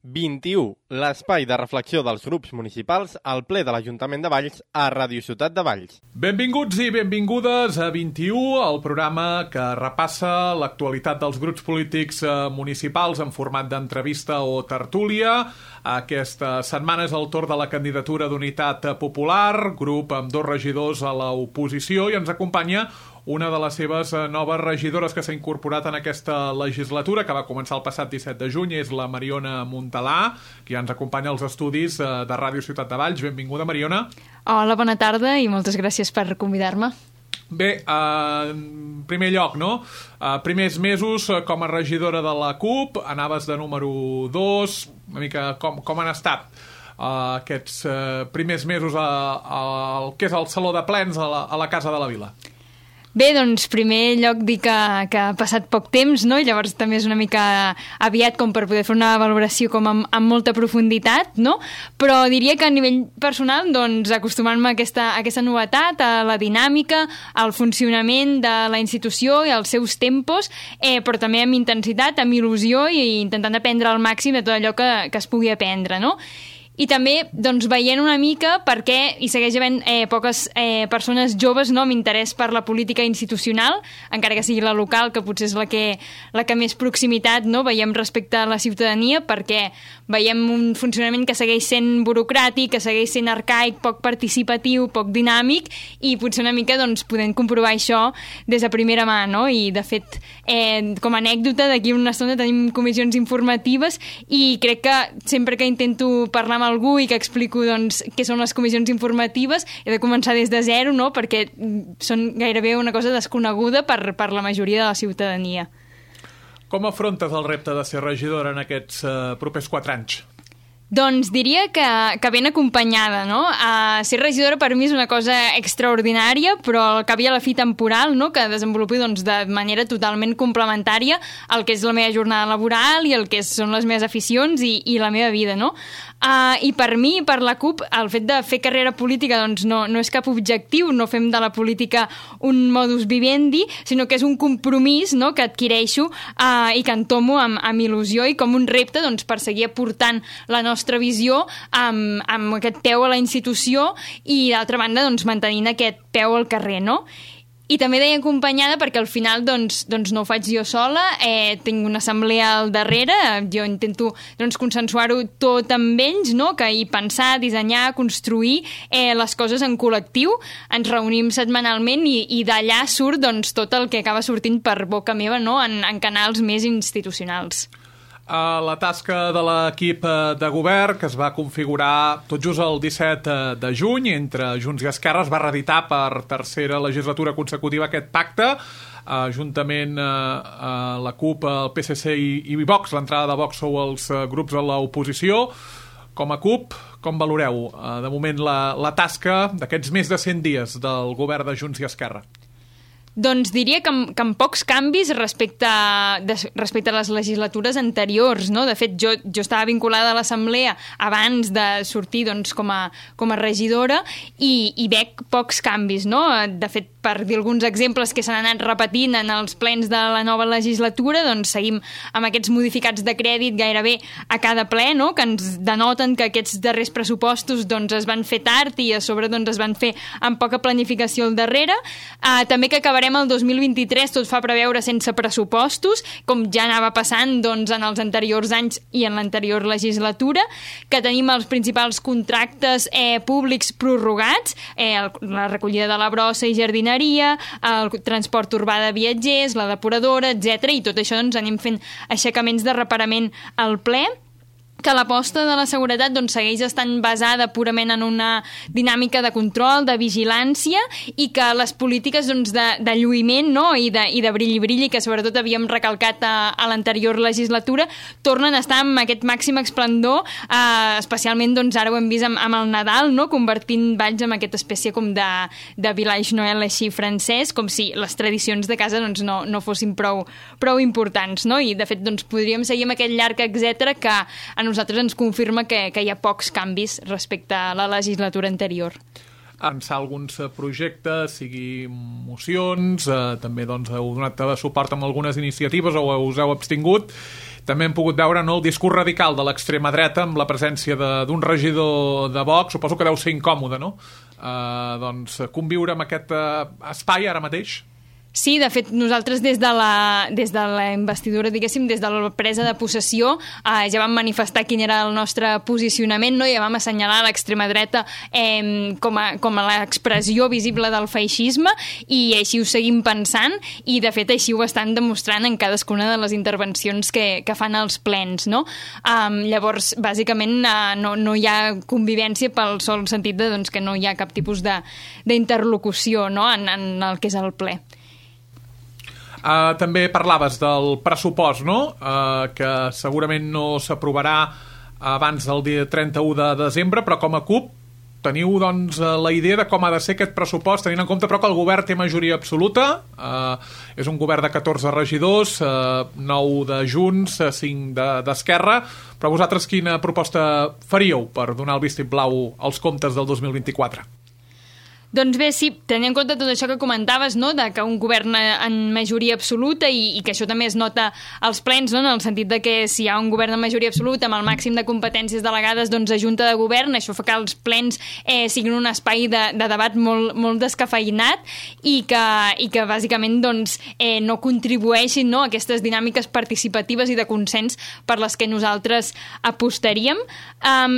21, l'espai de reflexió dels grups municipals al ple de l'Ajuntament de Valls a Ràdio Ciutat de Valls. Benvinguts i benvingudes a 21, el programa que repassa l'actualitat dels grups polítics municipals en format d'entrevista o tertúlia. Aquesta setmana és el torn de la candidatura d'Unitat Popular, grup amb 2 regidors a l'oposició, i ens acompanya una de les seves noves regidores que s'ha incorporat en aquesta legislatura, que va començar el passat 17 de juny, és la Mariona Montalà, que ja ens acompanya als estudis de Ràdio Ciutat de Valls. Benvinguda, Mariona. Hola, bona tarda i moltes gràcies per convidar-me. Bé, en primer lloc, no? Primers mesos com a regidora de la CUP, anaves de número 2, una mica com han estat aquests primers mesos al que és el Saló de Plens a la Casa de la Vila? Bé, doncs, primer lloc dir que ha passat poc temps, no? I llavors també és una mica aviat com per poder fer una valoració com amb molta profunditat, no? Però diria que a nivell personal, doncs, acostumant-me a aquesta novetat, a la dinàmica, al funcionament de la institució i als seus tempos, però també amb intensitat, amb il·lusió i intentant aprendre al màxim de tot allò que es pugui aprendre, no? I també doncs, veient una mica per què hi segueix havent poques persones joves, no, amb interès per la política institucional, encara que sigui la local, que potser és la que més proximitat, no, veiem respecte a la ciutadania, perquè veiem un funcionament que segueix sent burocràtic, que segueix sent arcaic, poc participatiu, poc dinàmic, i potser una mica doncs, podem comprovar això des de primera mà, no? I de fet, com a anècdota, d'aquí una estona tenim comissions informatives i crec que sempre que intento parlar amb algú i que explico doncs, què són les comissions informatives, he de començar des de zero, no? Perquè són gairebé una cosa desconeguda per la majoria de la ciutadania. Com afrontes el repte de ser regidora en aquests propers 4 anys? Doncs diria que ben acompanyada, no? Ser regidora per mi és una cosa extraordinària, però al cap i a la fi temporal, no? Que desenvolupi doncs, de manera totalment complementària el que és la meva jornada laboral i el que són les meves aficions i la meva vida, no? I per mi, per la CUP, el fet de fer carrera política doncs, no és cap objectiu, no fem de la política un modus vivendi, sinó que és un compromís, no? Que adquireixo i que entomo amb il·lusió i com un repte doncs, per seguir aportant la nostra visió amb aquest peu a la institució i, d'altra banda, doncs, mantenint aquest peu al carrer, no? I també deia acompanyada perquè al final doncs no ho faig jo sola, tinc una assemblea al darrere, jo intento doncs, consensuar-ho tot amb ells, no? I pensar, dissenyar, construir les coses en col·lectiu. Ens reunim setmanalment i d'allà surt doncs, tot el que acaba sortint per boca meva, no? En canals més institucionals. La tasca de l'equip de govern, que es va configurar tot just el 17 de juny entre Junts i Esquerra, es va reeditar per tercera legislatura consecutiva aquest pacte, juntament la CUP, el PSC i Vox. L'entrada de Vox sou els grups de l'oposició. Com a CUP, com valoreu de moment la tasca d'aquests més de 100 dies del govern de Junts i Esquerra? Doncs diria que amb pocs canvis respecte a les legislatures anteriors, no? De fet, jo estava vinculada a l'Assemblea abans de sortir doncs, com a regidora i veig pocs canvis, no? De fet, per dir alguns exemples que s'han anat repetint en els plens de la nova legislatura, doncs seguim amb aquests modificats de crèdit gairebé a cada ple, no? Que ens denoten que aquests darrers pressupostos doncs, es van fer tard i a sobre doncs, es van fer amb poca planificació al darrere. També que acabarem el 2023, tot fa preveure sense pressupostos, com ja anava passant doncs, en els anteriors anys i en l'anterior legislatura, que tenim els principals contractes públics prorrogats, la recollida de la brossa i jardineria, el transport urbà de viatgers, la depuradora, etc. I tot això doncs, anem fent aixecaments de reparament al ple, que l'aposta de la seguretat doncs, segueix estant basada purament en una dinàmica de control, de vigilància, i que les polítiques doncs, de lluïment, no? I de brilli-brilli, que sobretot havíem recalcat a l'anterior legislatura, tornen a estar amb aquest màxim esplendor, especialment doncs, ara ho hem vist amb el Nadal, no? Convertint Valls en aquesta espècie com de village Noel així francès, com si les tradicions de casa doncs, no fossin prou importants, no? I de fet doncs, podríem seguir amb aquest llarg etcètera que a nosaltres ens confirma que hi ha pocs canvis respecte a la legislatura anterior. avançar alguns projectes, sigui mocions, també doncs, heu donat suport amb algunes iniciatives o us heu abstingut. També hem pogut veure, no, el discurs radical de l'extrema dreta amb la presència d'un regidor de Vox. Suposo que deu ser incòmode, no? Doncs conviure amb aquest espai ara mateix. Sí, de fet, nosaltres des de la investidura, diguéssim, des de la presa de possessió, ja vam manifestar quin era el nostre posicionament, no? Ja vam assenyalar l'extrema dreta com a l'expressió visible del feixisme, i així ho seguim pensant, i de fet així ho estan demostrant en cadascuna de les intervencions que fan als plens, no? Llavors, bàsicament, no hi ha convivència pel sol sentit de doncs, que no hi ha cap tipus d'interlocució, no? en el que és el ple. També parlaves del pressupost, no? Que segurament no s'aprovarà abans del dia 31 de desembre, però com a CUP teniu doncs, la idea de com ha de ser aquest pressupost, tenint en compte però que el govern té majoria absoluta, és un govern de 14 regidors, 9 de Junts, 5 d'Esquerra, però vosaltres quina proposta faríeu per donar el vistiplau als comptes del 2024? Doncs bé, sí, tenint en compte tot això que comentaves, no?, de que un govern en majoria absoluta i que això també es nota als plens, no?, en el sentit de que si hi ha un govern en majoria absoluta amb el màxim de competències delegades, doncs a junta de govern, això fa que els plens siguin un espai de debat molt descafeïnat i que bàsicament doncs, no contribueixin, no?, a aquestes dinàmiques participatives i de consens per les que nosaltres apostaríem.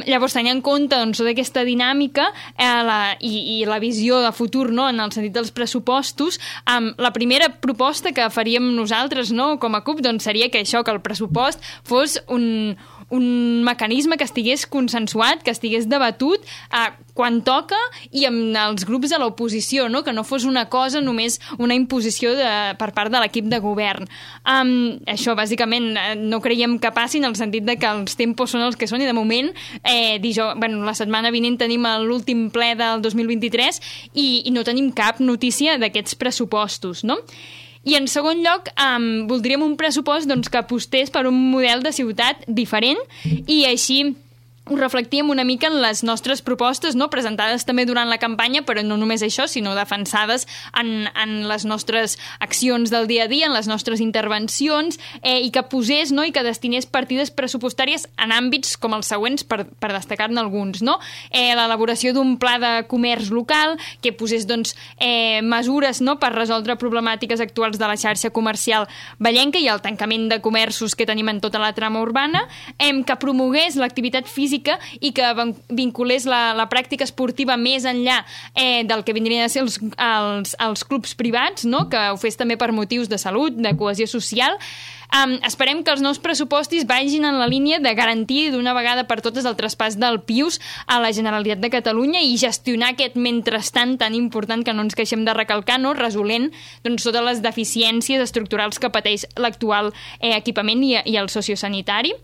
Llavors, tenint en compte doncs, tota aquesta dinàmica i la visió de futur, no?, en el sentit dels pressupostos, la primera proposta que faríem nosaltres, no?, com a CUP, doncs seria que el pressupost fos un mecanisme que estigués consensuat, que estigués debatut quan toca i amb els grups de l'oposició, no?, que no fos una cosa només una imposició per part de l'equip de govern. Això bàsicament no creiem que passi en el sentit de que els tempos són els que són i de moment la setmana vinent tenim l'últim ple del 2023 i no tenim cap notícia d'aquests pressupostos, no? I en segon lloc, voldríem un pressupost doncs, que apostés per un model de ciutat diferent i així ho reflectíem una mica en les nostres propostes, no?, presentades també durant la campanya, però no només això, sinó defensades en les nostres accions del dia a dia, en les nostres intervencions, i que posés, no?, i que destinés partides pressupostàries en àmbits com els següents, per destacar-ne alguns, no? L'elaboració d'un pla de comerç local, que posés doncs, mesures, no?, per resoldre problemàtiques actuals de la xarxa comercial vallenca i el tancament de comerços que tenim en tota la trama urbana, que promogués l'activitat física i que vinculés la pràctica esportiva més enllà del que vindrien a ser els clubs privats, no?, que ho fes també per motius de salut, de cohesió social. Esperem que els nous pressupostos vagin en la línia de garantir d'una vegada per totes el traspàs del PIUS a la Generalitat de Catalunya i gestionar aquest mentrestant tan important que no ens queixem de recalcar, no?, resolent doncs, totes les deficiències estructurals que pateix l'actual equipament i el sociosanitari,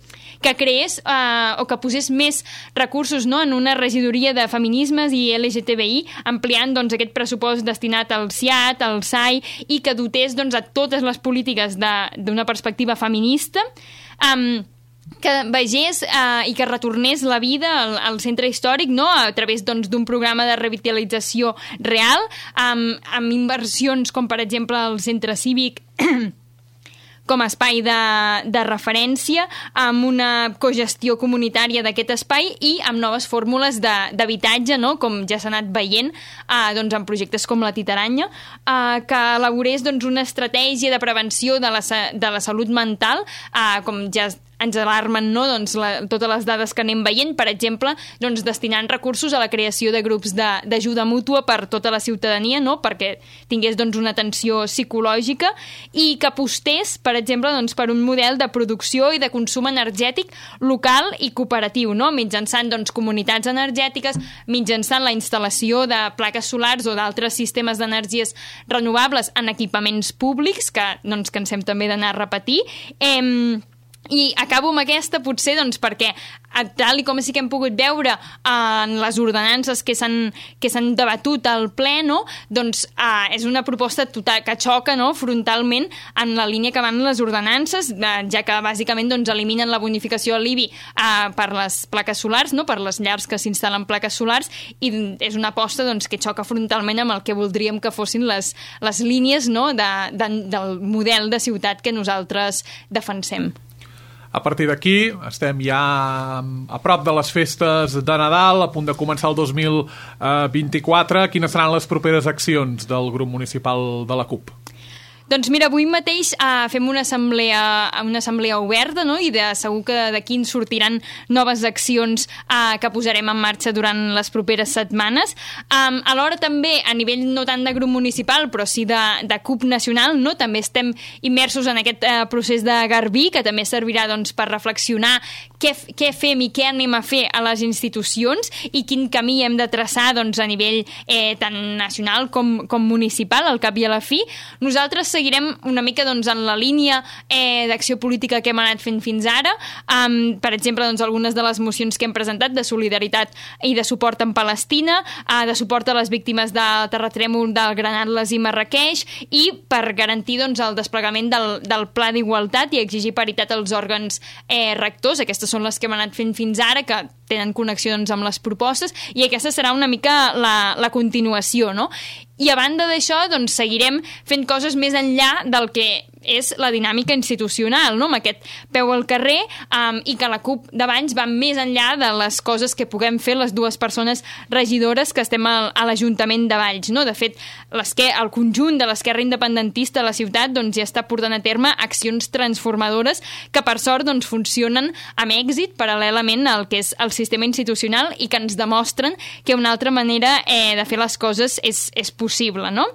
que creés o que posés més recursos, no?, en una regidoria de feminismes i LGTBI, ampliant doncs, aquest pressupost destinat al CIAT, al SAI, i que dotés doncs, a totes les polítiques d'una perspectiva feminista, que vegés i que retornés la vida al centre històric, no?, a través doncs, d'un programa de revitalització real, amb inversions com per exemple el centre cívic com a espai de referència, amb una cogestió comunitària d'aquest espai i amb noves fórmules d'habitatge, no?, com ja s'ha anat veient doncs, en projectes com la Titaranya, que elaborés doncs, una estratègia de prevenció de la salut mental, com ja ens alarmen, no?, doncs, totes les dades que anem veient, per exemple, doncs, destinant recursos a la creació de grups d'ajuda mútua per tota la ciutadania, no?, perquè tingués doncs, una atenció psicològica i que apostés, per exemple, doncs, per un model de producció i de consum energètic local i cooperatiu, no?, mitjançant doncs, comunitats energètiques, mitjançant la instal·lació de plaques solars o d'altres sistemes d'energies renovables en equipaments públics, que no ens cansem també d'anar a repetir, I acabo amb aquesta, potser, doncs, perquè tal i com sí que hem pogut veure en les ordenances que s'han debatut al ple, no? Doncs és una proposta total, que xoca, no?, frontalment en la línia que van les ordenances, ja que bàsicament doncs, eliminen la bonificació a l'IBI per les plaques solars, no?, per les llars que s'instal·len plaques solars, i és una aposta doncs, que xoca frontalment amb el que voldríem que fossin les línies, no?, del model de ciutat que nosaltres defensem. A partir d'aquí estem ja a prop de les festes de Nadal, a punt de començar el 2024. Quines seran les properes accions del grup municipal de la CUP? Doncs mira, avui mateix fem una assemblea oberta, no?, i segur que d'aquí en sortiran noves accions que posarem en marxa durant les properes setmanes. Alhora també, a nivell no tant de grup municipal, però sí de CUP nacional, no?, també estem immersos en aquest procés de Garbí, que també servirà doncs, per reflexionar què fem i què anem a fer a les institucions i quin camí hem de traçar doncs, a nivell tant nacional com municipal, al cap i a la fi. Nosaltres seguirem una mica doncs, en la línia d'acció política que hem anat fent fins ara. Per exemple, doncs, algunes de les mocions que hem presentat de solidaritat i de suport en Palestina, de suport a les víctimes del terratrèmol del Gran Atles i Marrakeix, i per garantir doncs, el desplegament del Pla d'Igualtat i exigir paritat als òrgans rectors. Aquestes són les que hem anat fent fins ara, que tenen connexions amb les propostes, i aquesta serà una mica la continuació, no? I a banda d'això, doncs, seguirem fent coses més enllà del que és la dinàmica institucional, no?, amb aquest peu al carrer, i que la CUP de Valls va més enllà de les coses que puguem fer les dues persones regidores que estem a l'Ajuntament de Valls, no? De fet, el conjunt de l'esquerra independentista a la ciutat doncs, ja està portant a terme accions transformadores que, per sort, doncs, funcionen amb èxit paral·lelament al que és el sistema institucional i que ens demostren que una altra manera de fer les coses és possible, no?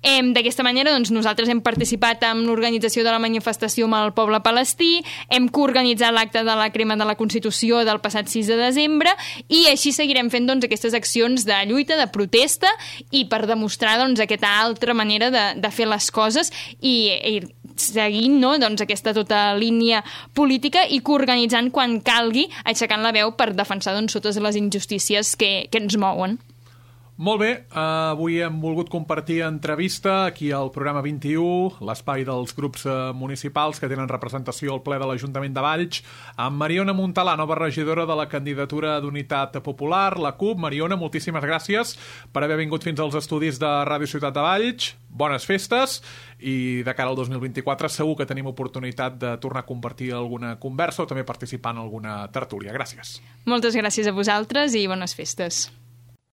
D'aquesta manera, doncs, nosaltres hem participat en l'organització de la manifestació amb el poble palestí, hem coorganitzat l'acte de la crema de la Constitució del passat 6 de desembre, i així seguirem fent doncs, aquestes accions de lluita, de protesta, i per demostrar doncs, aquesta altra manera de fer les coses i seguint, no?, doncs, aquesta tota línia política i coorganitzant quan calgui, aixecant la veu per defensar doncs, totes les injustícies que ens mouen. Molt bé, avui hem volgut compartir entrevista aquí al programa 21, l'espai dels grups municipals que tenen representació al ple de l'Ajuntament de Valls, amb Mariona Montalà, nova regidora de la candidatura d'Unitat Popular, la CUP. Mariona, moltíssimes gràcies per haver vingut fins als estudis de Ràdio Ciutat de Valls. Bones festes, i de cara al 2024 segur que tenim oportunitat de tornar a compartir alguna conversa o també participar en alguna tertúlia. Gràcies. Moltes gràcies a vosaltres i bones festes.